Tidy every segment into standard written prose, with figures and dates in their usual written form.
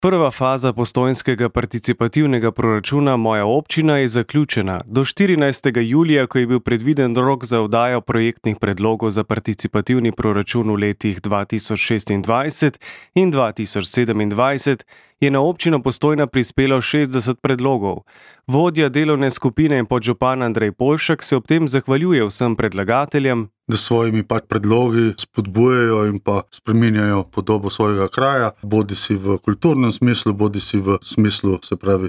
Prva faza postojnskega participativnega proračuna Moja občina je zaključena. Do 14. julija, ko je bil predviden rok za oddajo projektnih predlogov za participativni proračun v letih 2026 in 2027, je na občino Postojna prispelo 60 predlogov. Vodja delovne skupine in podžupan Andrej Poljšak se ob tem zahvaljuje vsem predlagateljem, da svojimi predlogi spodbujajo in spreminjajo podobo svojega kraja, bodisi v kulturnem smislu, bodisi v smislu,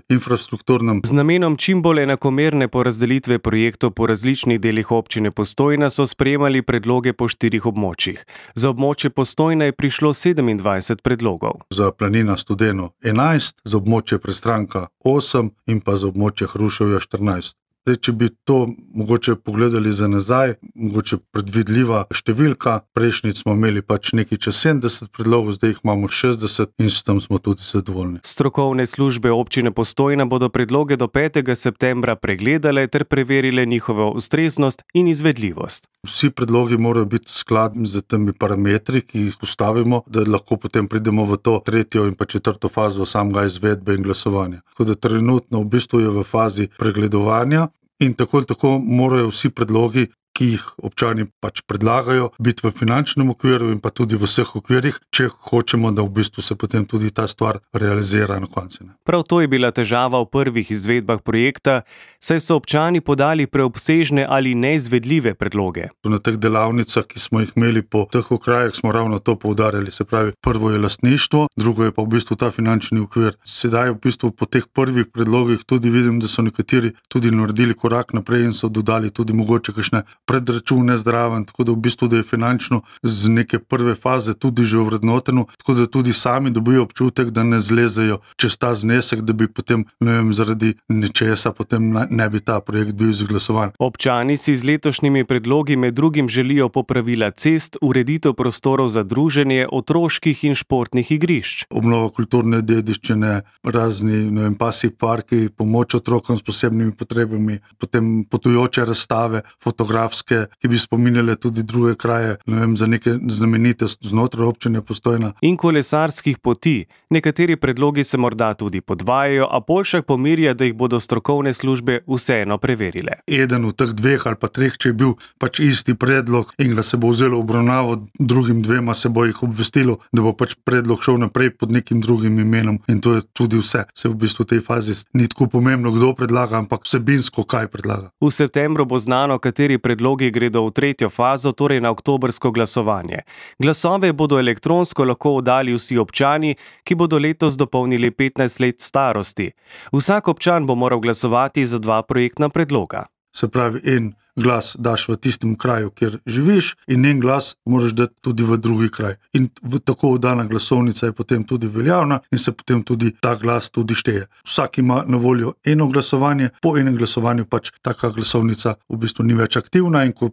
infrastrukturnem. Z namenom čim bolj enakomerne porazdelitve projektov po različnih delih občine Postojna so sprejemali predloge po 4 območjih. Za območje Postojna je prišlo 27 predlogov. Za Planina Studeno 11, za območje Prestranka 8 in za območje Hruševja 14. Če bi to mogoče pogledali za nazaj, mogoče predvidljiva številka, prejšnjič smo imeli nekaj čez 70 predlogov, zdaj jih imamo 60 in s tem smo tudi zadovoljni. Strokovne službe občine Postojna bodo predloge do 5. septembra pregledale ter preverile njihovo ustreznost in izvedljivost. Vsi predlogi morajo biti skladni z temi parametri, ki jih postavimo, da lahko potem pridemo v to 3. in 4. fazo samega izvedbe in glasovanja. Tako da trenutno v bistvu je v fazi pregledovanja in tako morajo vsi predlogi, ki jih občani predlagajo, biti v finančnem okviru in tudi v vseh okvirih, če hočemo, da v bistvu se potem tudi ta stvar realizira na koncu. Prav to je bila težava v prvih izvedbah projekta, saj so občani podali preobsežne ali neizvedljive predloge. Na teh delavnicah, ki smo jih imeli po teh okrajih, smo ravno to poudarjali, se pravi, prvo je lastništvo, drugo je pa v bistvu ta finančni okvir. Sedaj v bistvu po teh prvih predlogih tudi vidim, da so nekateri tudi naredili korak naprej in so dodali tudi mogoče kakšne predračune zdraven, tako da v bistvu da je finančno z neke prve faze tudi že ovrednoteno, tako da tudi sami dobijo občutek, da ne zlezejo čez ta znesek, da bi potem, zaradi nečesa potem ne bi ta projekt bil izglasovan. Občani si z letošnjimi predlogi med drugim želijo popravila cest, ureditev prostorov za druženje, otroških in športnih igrišč. Obnova kulturne dediščine, razni, pasji parki, pomoč otrokom s posebnimi potrebami, potem potujoče razstave, fotografske, ki bi spominjale tudi druge kraje, za neke znamenitosti znotraj občine Postojna. In kolesarskih poti. Nekateri predlogi se morda tudi podvajajo, a Poljšak pomirja, da jih bodo strokovne službe vseeno preverile. Eden od teh 2 ali 3, če je bil isti predlog in ga se bo vzelo obravnavo, drugim 2 se bo jih obvestilo, da bo predlog šel naprej pod nekim drugim imenom in to je tudi vse. Se v bistvu v tej fazi ni tako pomembno, kdo predlaga, ampak vsebinsko kaj predlaga. V septembru bo znano, kateri predlogi gredo v 3. fazo, torej na oktobrsko glasovanje. Glasove bodo elektronsko lahko oddali vsi občani, ki bodo letos dopolnili 15 let starosti. Vsak občan bo moral glasovati za 2 projektna predloga. Se pravi, en glas daš v tistem kraju, kjer živiš, in en glas moraš dati tudi v drugi kraj. In tako oddana glasovnica je potem tudi veljavna in se potem tudi ta glas tudi šteje. Vsak ima na voljo eno glasovanje, po enem glasovanju taka glasovnica v bistvu ni več aktivna in ko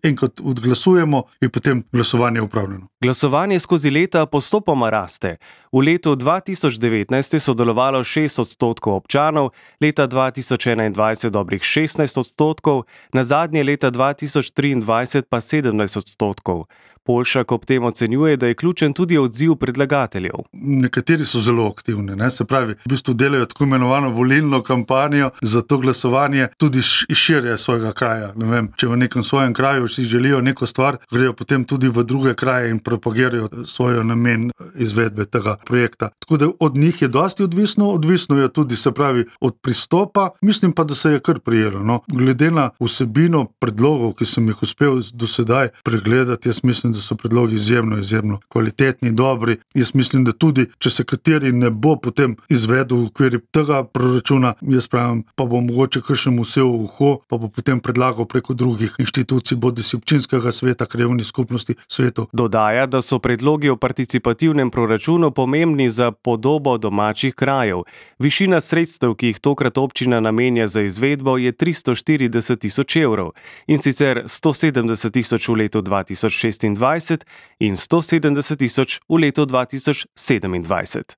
enkrat odglasujemo, je potem glasovanje upravljeno. Glasovanje skozi leta postopoma raste. V letu 2019 je sodelovalo 6% občanov, leta 2021 dobrih 16%, nazadnje leta 2023 pa 17%. Poljšak ob tem ocenjuje, da je ključen tudi odziv predlagateljev. Nekateri so zelo aktivni, se pravi, v bistvu delajo tako imenovano volilno kampanjo za to glasovanje tudi širje svojega kraja. Če v nekem svojem kraju si želijo neko stvar, grejo potem tudi v druge kraje in propagirajo svoj namen izvedbe tega projekta. Tako da od njih je dosti odvisno je tudi, se pravi, od pristopa, mislim pa, da se je kar prijelo. Glede na vsebino predlogov, ki sem jih uspel do sedaj pregledati, jaz mislim, da so predlogi izjemno kvalitetni, dobri. Jaz mislim, da tudi, če se kateri ne bo potem izvedel v okviru tega proračuna, jaz pravim, pa bo mogoče kakšnemu vse v uho, pa bo potem predlagal preko drugih inštitucij, bodisi občinskega sveta, krajevnih skupnosti, svetov. Dodaja, da so predlogi o participativnem proračunu pomembni za podobo domačih krajev. Višina sredstev, ki jih tokrat občina namenja za izvedbo, je 340 tisoč evrov, in sicer 170 tisoč v letu 2026 in 170 tisoč v letu 2027.